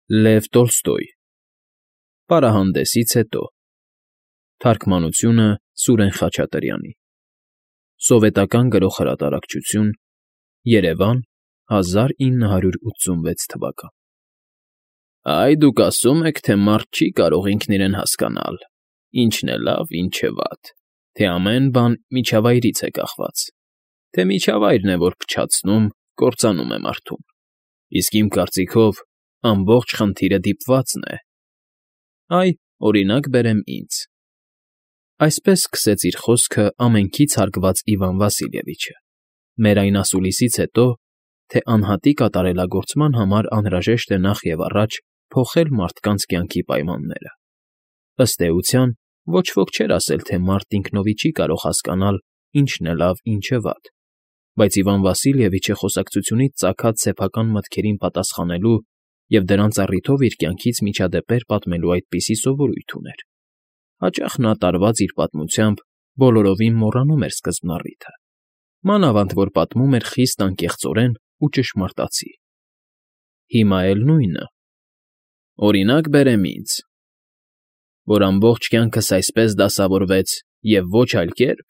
Լև Տոլստոյ Պարահանդեսից հետո Թարգմանությունը Սուրեն Խաչատրյանի Սովետական գրողհրատարակչություն Երևան 1986 թվական Այ դուք ասում եք, թե մարդ չի կարող ինքն իրեն հասկանալ, ինչն է լավ, ինչը վատ, թե ամեն բան միջավայրից է կախված, թե միջավայրն է, որ փչացնում, կործանում է մարդուն, իսկ իմ կարծիքով ամբողջ խնդիրը դիպվածն է, այ, օրինակ բերեմ ինձ, այսպես սկսեց իր խոսքը ամենքից հարգված Իվան Վասիլևիչը, մեր այն ասուլիսից հետո, թե անհատի կատարելագործման համար անհրաժեշտ է նախ և առաջ փոխել մարդկանց կյանքի պայմանները. ըստ էության, ոչ ոք չէր ասել, թե մարդ ինքնովի չի կարող հասկանալ, ինչն է լավ, ինչը վատ, բայց Իվան Վասիլևիչը խոսակցությունից ծագած սեփական մտքերին պատասխանելու և դրանց առիթով իր կյանքից միջադեպեր պատմելու այդպիսի սովորույթ ուներ. հաճախ նա տարված իր պատմությամբ բոլորովին մոռանում էր սկզբնառիթը, մանավանդ որ պատմում էր խիստ անկեղծորեն ու ճշմարտացի. Հիմա էլ նույնը. օրինակ բերեմ ինձ, որ ամբողջ կյանքս այսպես դասավորվեց և ոչ այլ կերպ,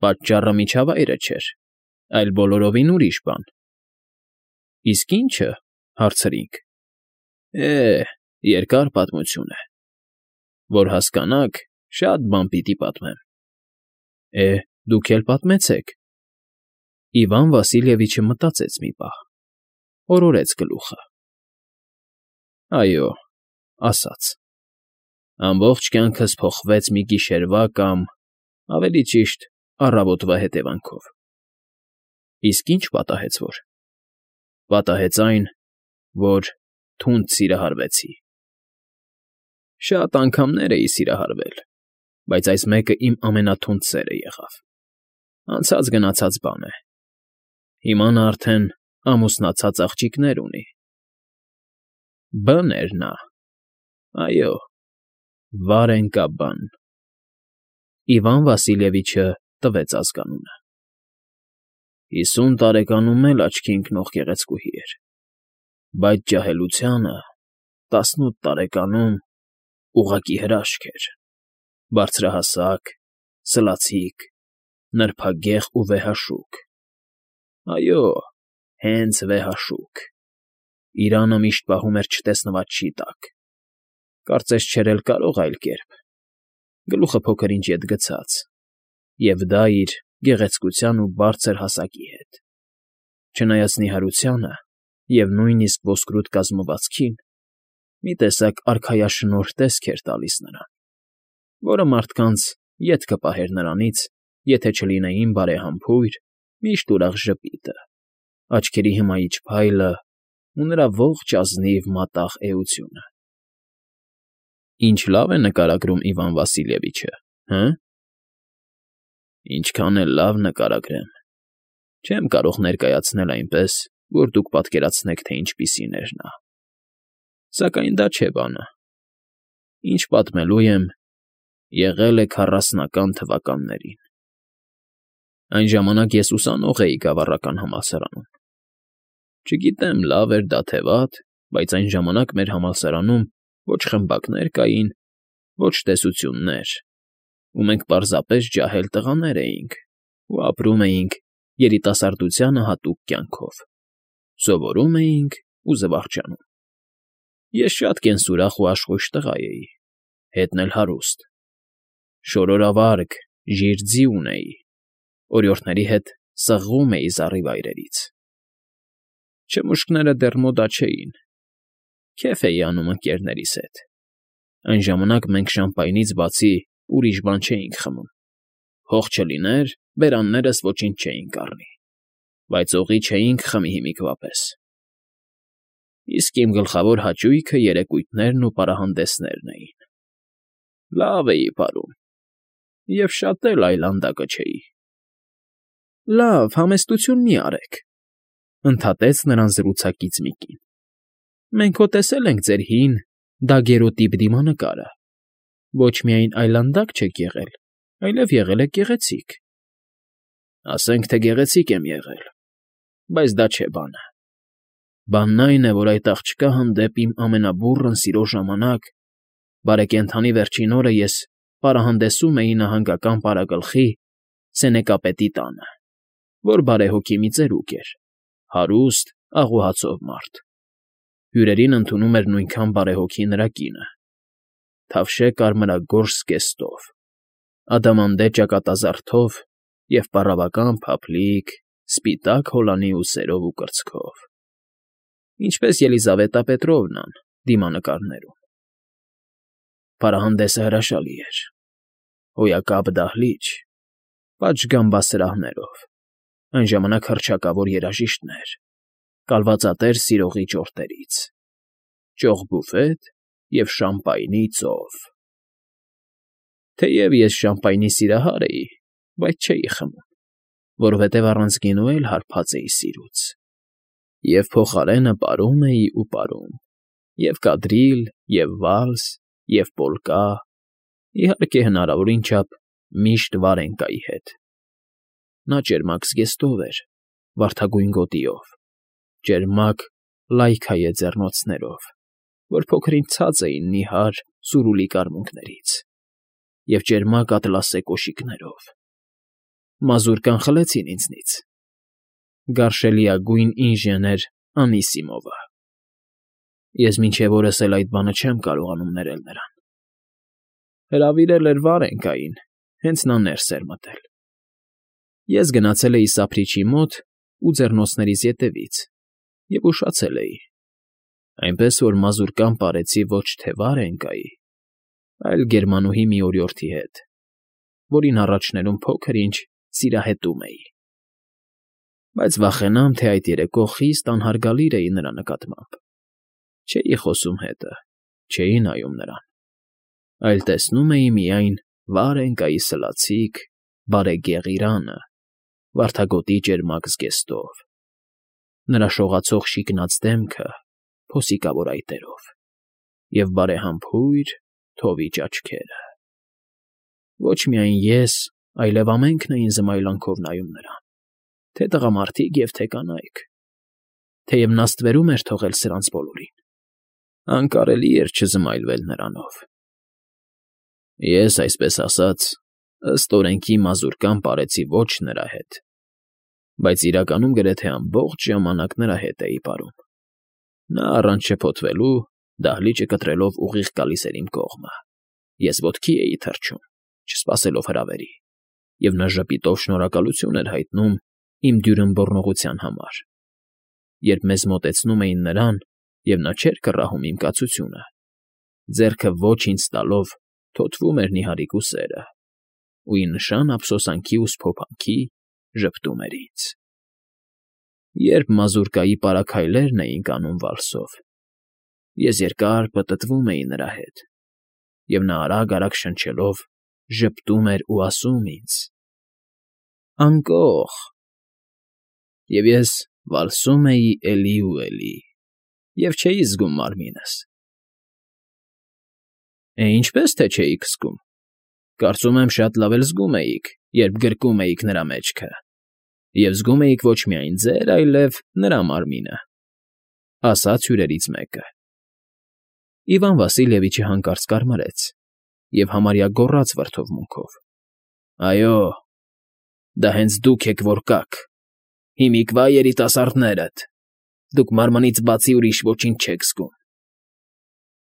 պատճառը միջավայրը չէր, այլ բոլորովին ուրիշ բան. Իսկ ի՞նչը, հարցրինք, երկար պատմություն է, որ հասկանաք, շատ բան պիտի պատմեմ, դուք էլ պատմեցեք, Իվան Վասիլևիչը մտածեց մի պահ, օրորեց գլուխը, այո, ասաց, ամբողջ կյանքս փոխվեց մի գիշերվա կամ, ավելի ճիշտ, առավոտվա հետևանքով, իսկ ի՞նչ պատահեց որ, պատահեց այն, որ թունդ սիրահարվեցի, շատ անգամներ էի սիրահարվել, բայց այս մեկը իմ ամենաթունդ սերը եղավ, անցած֊գնացած բան է, հիմա նա արդեն ամուսնացած աղջիկներ ունի, B֊ն էր նա, այո, Վարենկա-B-ն, Իվան Վասիլևիչը տվեց ազգանունը, 50 տարեկանում էլ աչքի ընկնող գեղեցկուհի էր, բայց ջահելությանը 18 տարեկանում ուղղակի հրաշք էր, բարձրահասակ, սլացիկ, նրբագեղ ու վեհաշուք, այո, հենց վեհաշուք, իրանը միշտ պահում էր չտեսնված չի տակ, կարծես չէր էլ կարող այլ կերպ, գլուխը փոքր-ինչ ետ գցած, և դա իր գեղեցկության ու բարձր հասակի հետ, չնայած նիհարությանը և նույնիսկ ոսկրուտ կազմվածքին, մի տեսակ արքայաշնորհ տեսք էր տալիս նրան, որը մարդկանց ետ կպահեր նրանից, եթե չլինեին բարեհամբույր, միշտ ուրախ ժպիտը, աչքերի հմայիչ փայլը ու նրա ողջ ազնիվ մատաղ էությունը։ Ինչ լավ է նկարագրում Իվան Վասիլևիչը, հը՞։ Ինչքան էլ լավ նկարագրեմ, չեմ կարող ներկայացնել այնպես, որ դուք պատկերացնեք, թե ինչպիսին էր նա։ Սակայն դա չէ բանը։ Ինչ պատմելու եմ, եղել է 40-ական թվականներին։ Այն ժամանակ ես ուսանող էի գավառական համալսարանում։ Չգիտեմ, լավ էր դա թե վատ, բայց այն ժամանակ մեր համալսարանում ոչ խմբակներ կային, ոչ տեսություններ, ու մենք պարզապես ջահել տղաներ էինք ու ապրում էինք երիտասարդությանը հատուկ կյանքով, սովորում էինք ու զվարճանում։ Ես շատ կենսուրախ ու աշխույժ տղա էի, հետն էլ հարուստ, շորորավարգ, ժիր ձի ունեի, օրիորդների հետ սղղում էի զառիվայրերից։ Չմուշկները դեռ մոդա չէին, քեֆ էի անում ընկերներիս հետ, այն ժամանակ մենք շամպայնից բացի ուրիշ բան չէինք խմում, փող չլիներ, բերաններս ոչինչ չէինք առնի, բայց օղի չէինք խմի հիմիկվա պես։ Իսկ իմ գլխավոր հաճույքը երեկույթներն ու պարահանդեսներն էին։ Լավ էի պարում, և շատ էլ այլանդակը չէի։ Լավ, համեստություն մի արեք, ընդհատեց նրան զրուցակից մի կին։ Մենք հո տեսել ենք ձեր հին, դագերոտիպ դիմանկարը, ոչ միայն այլանդակ չեք եղել, այլև եղել եք գեղեցիկ։ Ասենք թե գեղեցիկ եմ եղել, բայց դա չէ բանը։ Բանն այն է, որ այդ աղջկա հանդեպ իմ ամենաբուռն սիրո ժամանակ, բարեկենդանի վերջին օրը ես պարահանդեսում էի նահանգական պարագլխի Սենեկապետի տանը, որ բարեհոգի մի ծերուկ էր, հարուստ, աղուհացով մարդ. հյուրերին ընդունում էր նույնքան բարեհոգի նրա կինը, թավշե կարմրագորշ զգեստով, ադամանդե ճակատազարդով և պառավական փափլիկ, սպիտակ հոլանի ուսերով ու կրծքով, ինչպես Ելիզավետա Պետրովնան դիմանկարներում։ Պարահանդեսը հրաշալի էր, հոյակապ դահլիճ, պատշգամբասրահներով, այն ժամանակ հռչակավոր երաժիշտներ, կալվածատեր սիրողի ճորտերից, ճոխ բուֆետ և շամպայնի ծով։ Թեև ես շամպայնի սիրահար էի, բայց չէի խմում, որովհետև առանց գինու էլ հարբած էի սիրուց, և փոխարենը պարում էի ու պարում, և կադրիլ, և վալս, և պոլկա, իհարկե հնարավորին չափ միշտ Վարենկայի հետ։ Նա ճերմակ զգեստով էր, վարդագույն գոտիով, ճերմակ լայքայե ձեռնոցներով, որ փոքր-ինչ ցած էին նիհար սուրուլի կարմունկներից, և ճերմակ ատլասե կոշիկներով։ Մազուրկան խլեցին ինձնից, գարշելիագույն ինժեներ Անիսիմովը։ Ես մինչև օրս էլ այդ բանը չեմ կարողանում ներել նրան։ Հրավիրել էր Վարենկային, հենց նա ներս էր մտել։ Ես գնացել էի սափրիչի մոտ ու ձեռնոցներիս ետևից և ուշացել էի, այնպես որ մազուրկան պարեցի ոչ թե Վարենկայի, այլ գերմանուհի մի օրիորդի հետ, որին առաջներում փոքր֊ինչ սիրահետում էի։ Բայց վախենամ, թե այդ երեկո խիստ անհարգալիր էի նրա նկատմամբ։ Չէի խոսում հետը, չէի նայում նրան, այլ տեսնում էի միայն Վարենկայի սլացիկ, բարեգեղիրանը, վարդագոտի ճերմակ զգեստով, նրա շողացող շիկնած դեմքը փոսիկավոր այտերով և բարեհամբույր, թովիճ աչքերը։ Ոչ միայն ես, այլև ամենքն էին զմայլանքով նայում նրան, թե տղամարդիկ և թե կանայք, թեև նա ստվերում էր թողել սրանց բոլորին, անկարելի էր չզմայլվել նրանով։ Ես, այսպես ասած, ըստ օրենքի մազուրկան պարեցի ոչ նրա հետ, բայց իրականում գրեթե ամբողջ ժամանակ նրա հետ էի պարում։ Նա առանց շփոթվելու, դահլիճը կտրելով ուղիղ գալիս էր իմ կողմը, ես ոտքի էի թռչում, չսպասելով հրավերի, և նա ժպիտով շնորհակալություն էր հայտնում իմ դյուրըմբոռնողության համար։ Երբ մեզ մոտեցնում էին նրան, և նա չէր կռահում իմ կացությունը, ձեռքը ոչ ինձ տալով թոթվում էր նիհարիկ ուսերը, ու ի նշան ափսոսանքի ու սփոփանքի ժպտում էր ինձ։ Երբ մազուրկայի պարաքայլերն էին կանում վալսով, ես երկար պտտվում էի նրա հետ, և նա արագ֊արագ շնչելով ժպտում էր ու ասում ինձ. «Անկող», և ես վալսում էի էլի ու էլի, և չէի զգում մարմինս։ Ինչպե՞ս թե չէիք զգում, կարծում եմ շատ լավ էլ զգում էիք, երբ գրկում էիք նրա մեջքը, և զգում էիք ոչ միայն ձեր, այլև նրա մարմինը, ֊ ասաց հյուրերից մեկը։ Իվան Վասիլևիչը հանկարծ կարմրեց և համարյա գոռաց վրդովմունքով. «Այո, դա հենց դուք եք, որ կաք, հիմիկվա երիտասարդներդ, դուք մարմնից բացի ուրիշ ոչինչ չեք զգում։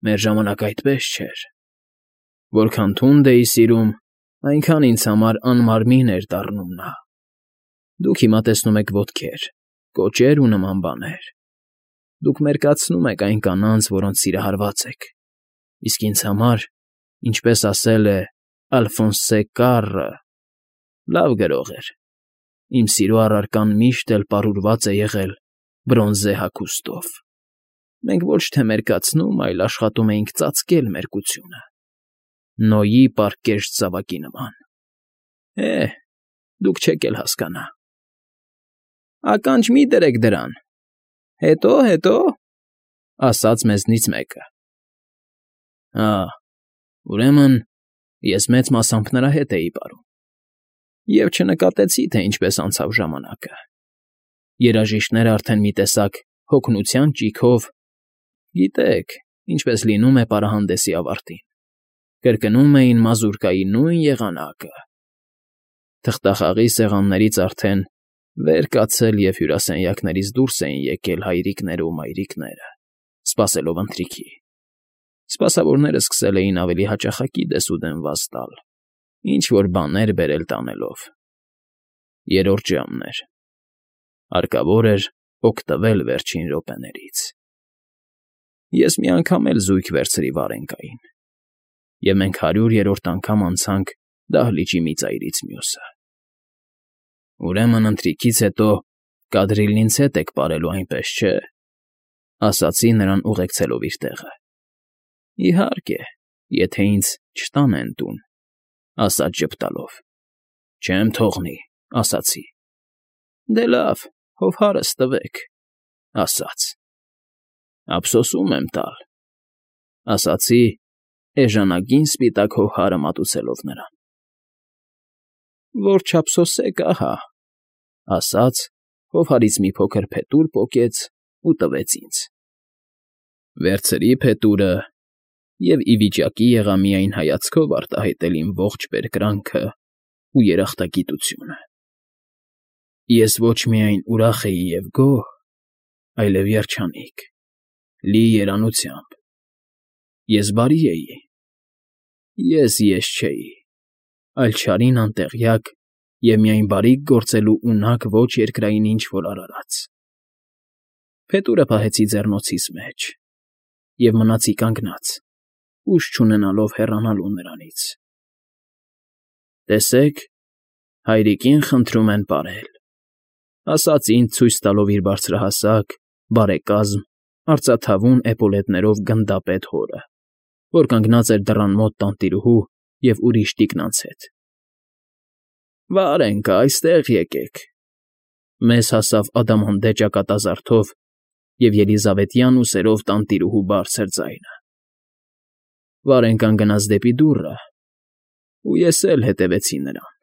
Մեր ժամանակ այդպես չէր. որքան թունդ էի սիրում, այնքան ինձ համար անմարմին էր դառնում նա։ Դուք հիմա տեսնում եք ոտքեր, կոճեր ու նման բաներ։ Դուք մերկացնում եք այն կանանց, որոնց սիրահարված եք, իսկ ինձ համար, ինչպես ասել է Ալֆոնսե Կառը, լավ գրող էր, իմ սիրո առարկան միշտ էլ պարուրված է եղել բրոնզե հագուստով։ Մենք ոչ թե մերկացնում, այլ աշխատում էինք ծածկել մերկությունը, Նոյի պարկեշտ զավակի նման։ Դուք չեք էլ հասկանա։ Ականջ մի դրեք դրան, հետո, ասաց մեզնից մեկը։ Ուրեմն ես մեծ մասամբ նրա հետ էի պարում, և չնկատեցի, թե ինչպես անցավ ժամանակը։ Երաժիշտները արդեն մի տեսակ հոգնության ճիգով, գիտեք, ինչպես լինում է պարահանդեսի ավարտին, կրկնում էին մազուրկայի նույն եղանակը. թղթախաղի սեղաններից արդեն վեր կացել և հյուրասենյակներից դուրս էին եկել հայրիկները ու մայրիկները, սպասելով ընթրիքի. սպասավորները սկսել էին ավելի հաճախակի դեսուդեն վազ տալ, ինչ֊որ բաներ բերել տանելով. երրորդ ժամն էր, հարկավոր էր օգտվել վերջին րոպեներից. ես մի անգամ էլ զույգ վերցրի Վարենկային, և մենք 100-րդ անգամ անցանք դահլիճի մի ծայրից մյուսը։ Ուրեմն ընթրիքից հետո կադրիլն ինձ հետ եք պարելու, այնպես չէ, ասացի նրան ուղեկցելով իր տեղը։ Իհարկե, եթե ինձ չտանեն տուն, ասաց ժպտալով։ Չեմ թողնի, ասացի։ Դե լավ, հով հարս տվեք, ասաց։ Ափսոսում եմ տալ, ասացի, էժանագին սպիտակ հողհարը մատուցելով նրան։ Որ չափսոսեք, ահա, ասաց, հովհարից մի փոքր փետուր պոկեց ու տվեց ինձ։ Վերցրի փետուրը և ի վիճակի եղա միայն հայացքով արտահայտել իմ ողջ բերկրանքը ու երախտագիտությունը։ Ես ոչ միայն ուրախ էի և գոհ, այլև երջանիկ, լի երանությամբ։ Ես բարի էի։ Ես չէի, այլ չարին անտեղյակ և միայն բարիք գործելու ունակ ոչ երկրային ինչ֊որ արարած։ Փետուրը պահեցի ձեռնոցիս մեջ և մնացի կանգնած, ուժ չունենալով հեռանալու նրանից։ Տեսեք, հայրիկին խնդրում են պարել, ասաց ինձ ցույց տալով իր բարձրահասակ, բարեկազմ, արծաթավուն էպոլետներով գնդապետ հորը, որ կանգնած էր դռան մոտ տանտիրուհու և ուրիշ տիկնանց հետ։ Վարենկա, այստեղ եկեք։ Մեզ հասավ ադամանդե ճակատազարդով և ելիզավետյան ուսերով տանտիրուհու բարձր ձայնը։ Վարենկան գնաց դեպի դուռը, ու ես էլ հետևեցի նրան։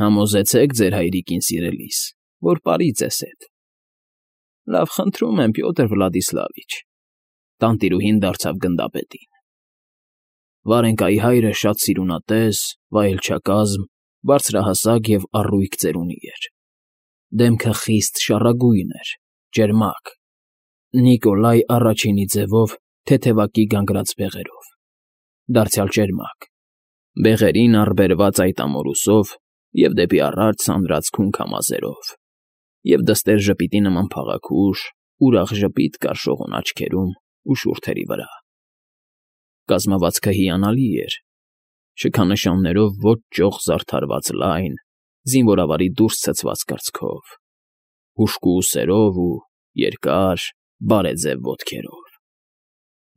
Համոզեցեք ձեր հայրիկին, սիրելիս, որ պարի ձեզ հետ։ Լավ, խնդրում եմ, Պյոտր Վլադիսլավիչ, տանտիրուհին դարձավ գնդապետին։ Վարենկայի հայրը շատ սիրունատես, վայելչակազմ, բարձրահասակ և առույգ ծերունի էր։ Դեմքը խիստ շառագույն էր, ճերմակ, Նիկոլայ առաջինի ձևով թեթևակի գանգրած բեղերով, դարձյալ ճերմակ, բեղերին առբերված այդ ամորուսով և դեպի առաջ ցանրած քունքամազերով, և դստեր ժպիտի նման փաղաքուշ, ուրախ ժպիտ կար շողուն աչքերում ու շուրթերի վրա։ Կազմվածքը հիանալի էր, շքանշաններով ոչ ճոխ զարդարված լայն, զինվորավարի դուրս ցցված կրծքով, հուժկու ուսերով ու երկար, բարեձև ոտքերով։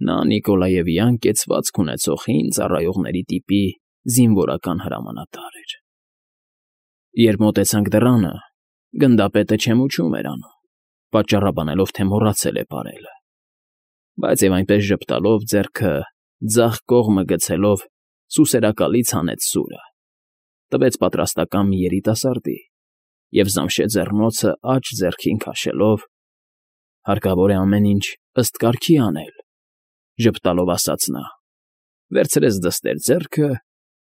Նա Նիկոլաևյան կեցվածք ունեցող հին ծառայողների տիպի զինվորական հրամանատար էր։ Երբ մոտեցանք դռանը, գնդապետը չեմուչում էր անում, պատճառաբանելով, թե մոռացել է պարելը, բայց և այնպես ժպտալով ձեռքը ձախ կողմը գցելով սուսերակալից հանեց սուրը, տվեց պատրաստական մի երիտասարդի և զամշե ձեռնոցը աջ ձեռքին քաշելով. հարկավոր է ամեն ինչ ըստ կարգի անել, ժպտալով ասաց նա, վերցրեց դստեր ձեռքը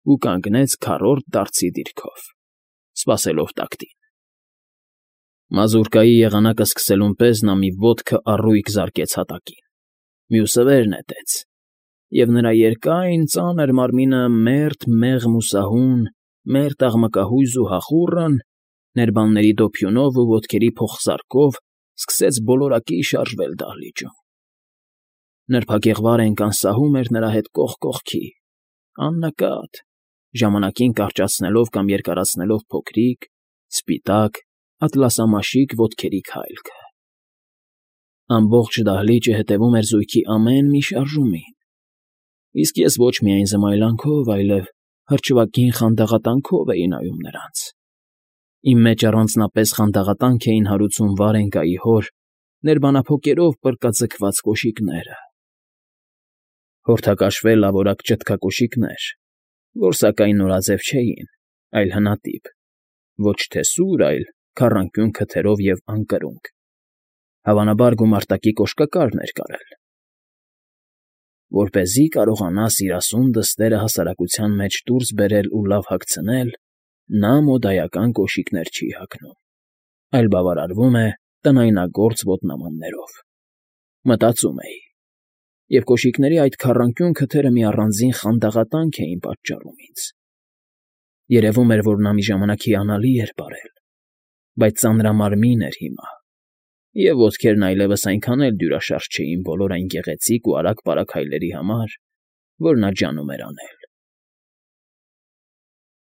ու կանգնեց քառորդ դարձի դիրքով, սպասելով տակտին։ Մազուրկայի եղանակը սկսելուն պես նա մի ոտքը առույգ զարկեց հատակին, մյուսը վեր նետեց, և նրա երկայն ծանր մարմինը մերթ մեղմ ու սահուն, մերթ աղմկահույզ ու հախուռն, ներբանների դոփյունով ու ոտքերի փոխզարկով սկսեց բոլորակի շարժվել դահլիճում։ Նրբագեղ Վարենկան սահում էր նրա հետ կողք կողքի, աննկատ, ժամանակին կարճացնելով կամ երկարացնելով փոքրիկ, սպիտակ, ատլասամաշիկ ոտքերի քայլքը։ Ամբողջ դահլիճը հետևում էր զույգի ամեն մի շարժումին, իսկ ես ոչ միայն զմայլանքով, այլև հրճվագին խանդաղատանքով էի նայում նրանց։ Իմ մեջ առանձնապես խանդաղատանք էին հարուցում Վարենկայի հոր ներբանափոկերով պռկաձգված կոշիկները։ Հորթակաշվե լավորակ ճտկակոշիկներ, որ սակայն նորաձև չէին, այլ հնատիպ, ոչ թե սուր, այլ քառանկյուն քթերով և անկրունկ, Հավանաբար գումարտակի կոշկակարն էր կարել։ Որպեսզի կարողանա սիրասուն դստերը հասարակության մեջ դուրս բերել ու լավ հագցնել, նա մոդայական կոշիկներ չի հագնում, այլ բավարարվում է տնայնագործ ոտնամաններով, մտածում էի, և կոշիկների այդ քառանկյուն քթերը մի առանձին խանդաղատանք էին պատճառում ինձ. երևում էր, որ նա մի ժամանակ հիանալի էր պարել, բայց ծանրամարմին էր հիմա, և ոտքերն այլևս այնքան էլ դյուրաշարժ չէին բոլոր այն գեղեցիկ ու արագ֊պարագ քայլերի համար, որ նա ջանում էր անել։